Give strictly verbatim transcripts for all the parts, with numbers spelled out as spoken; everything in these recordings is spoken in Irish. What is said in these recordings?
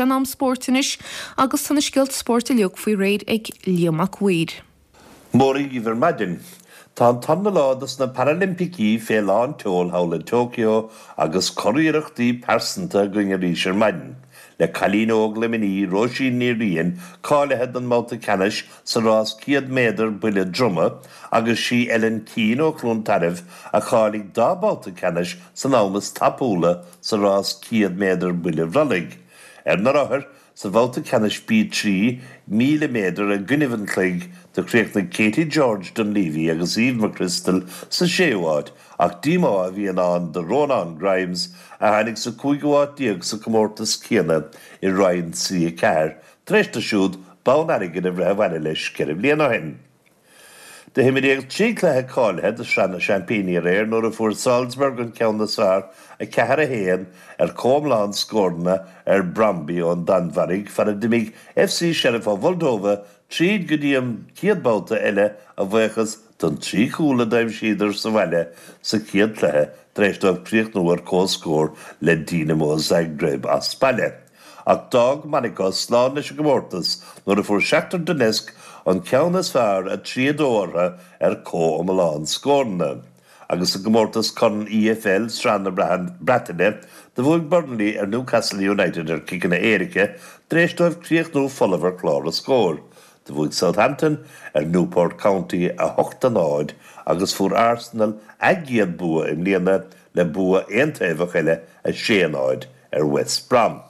sé in am spóirt anois agus tá na scéalta spóirt uilig faoi réir ag Liam Mac Uidhir. Mora dhaoibh ar maidin. Tá an tarna lá dos na Parailimpicí fé lán tseoil thall i Tokyo agus curiarrachtaí pearsanta againn arís ar maidin. Le cailín óg Luimnigh Róisín Ní Riain cáilithe don mbabhta ceannais sa rás céad méadar buille droma agus sí Ellen Keane ó Chluain Tarbh a cháiligh dá babhta ceannais san am is tapúla sa rás céad méadar buille brollaigh. Ar na rothair sa bhabhta ceannais B trí míle méadar i gcoinnibh an chloig do chríochnaigh Katie George Dunleavy agus Eve McChrystal sa séú háit ach díomá a bhí i ndán do Rónán Grimes a tháinig sa cúigiú háit déag sa chomórtas céanna i roinn C a ceathair tar éis dó siúd bonn airgid a bhreith abhaile leis ceithre bliana ó shin. Do himríodh trí chluiche cáilithe do Shraith na Seaimpíní aréir nuair a fuair Salzburg an ceann is fearr a ceathair a haon ar chomhiomlán scóranna ar Brøndby ón Danmhairg fara d'imigh FC Sheriff ó Mholdóva tríd go dtí an chéad babhta eile a bhuíochas don trí chúl a d'aimsíodar sa bhaile sa chéad chluiche tar éis dóibh críochnú ar comhscór le Dinamo Zagreb as baile. Ach d'fhág Monaco slán leis an gcomórtas nuair a fuair Shakhtar Donetsk an ceann is fearr a trí a dó orthu ar chomhiomlán scóranna. Agus sa gcomórtas Corn EFL Sraith na Breataine do bhuaigh Burnley ar Newcastle United ar chiceanna éirice tar éis dóibh críochnú folamh ar chlár na scór. Do bhuaigh Southampton ar Newport County a hocht a náid agus fuair Arsenal a gcéad bua i mbliana le bua aontaobhach eile a sé a náid ar West Brom.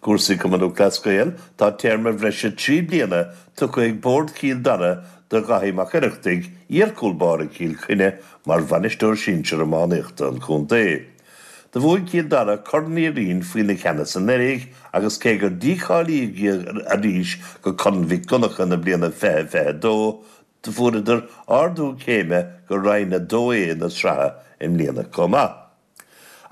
Cúrsaí Cumann Lúthchleas Gael, tá téarma bhreise trí bliana tugtha ag Bord Chill Dara do Dhaithí Mac Oireachtaigh, iar-chúl báire Chill Chainnigh, mar bhainisteoir sinsir iománaíochta an chontae. Do bhuaigh Cill Dara Corn Uí Rinn faoina cheannas anuraidh agus cé gur dícháilíodh iad arís go Corn Mhic Dhonncha na bliana fiche fiche dó, do fuaireadar ardú céime go Roinn a dó A na sraithe i mbliana chomh maith.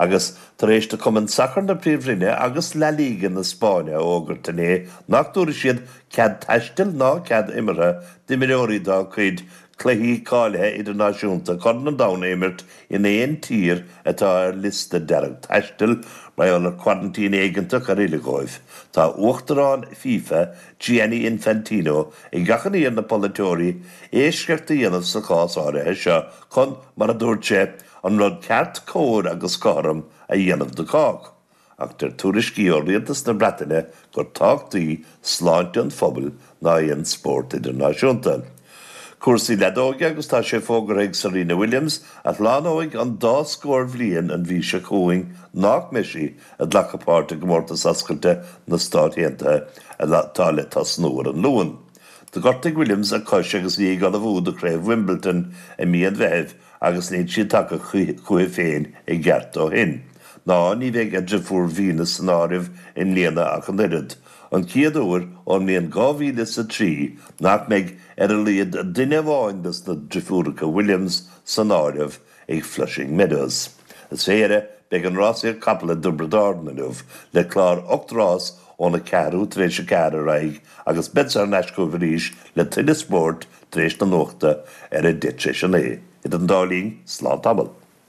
Agus tar éis do Chumann Sacair na Príomhroinne agus La Liga na Spáinne a fhógairt inné nach dtabharfaidh siad cead taistil ná cead imeartha d'imreoirí dá gcuid cluichí cáilithe idirnáisiúnta Chorn an Domhain a imirt in aon tír atá ar liosta dearg taistil mar gheall ar choraintín éigeantach ar fhilleadh dóibh. Tá Uachtarán FIFA, Gianni Infantino, ag achainí ar na polaiteoirí eisceacht a dhéanamh sa chás áirithe seo chun, mar a dúirt sé, an rud ceart, cóir agus cothrom a dhéanamh do chách. Ach deir tuairiscí ó Rialtas na Breataine gur tábhachtaí sláinte an phobail ná aon spórt idirnáisiúnta. Cúrsaí leadóige agus tá sé fógartha ag Serena Williams, a shlánóidh an dá scór bhliain an mhí seo chugainn, nach mbeidh sí ag glacadh páirt i gcomórtas oscailte na Stát Aontaithe atá le tosnú ar an Luan. Do ghortaigh Williams a cois agus í ag ullmhú do Chraobh Wimbledon i mí an Mheithimh agus níl sí tagtha chuici féin i gceart ó shin. Ná ní bheidh a deirfiúr Venus san áireamh i mbliana ach an oiread, an chéad uair ón mbliain dhá mhíle is a trí nach mbeidh ar a laghad duine amháin de na deirfiúracha Williams san áireamh ag Flushing Meadows. Is fé dheireadh, beidh an rásaíocht capall i dTiobraid Árann inniu le clár ocht rás óna ceathrú tar éis a ceathair ar aghaidh agus beadsa thar n-ais chugaibh arís le tuilleadh spóirt tar éis na nuachta ar a deich tar éis a naoi. Idir an dá linn, slán tamall.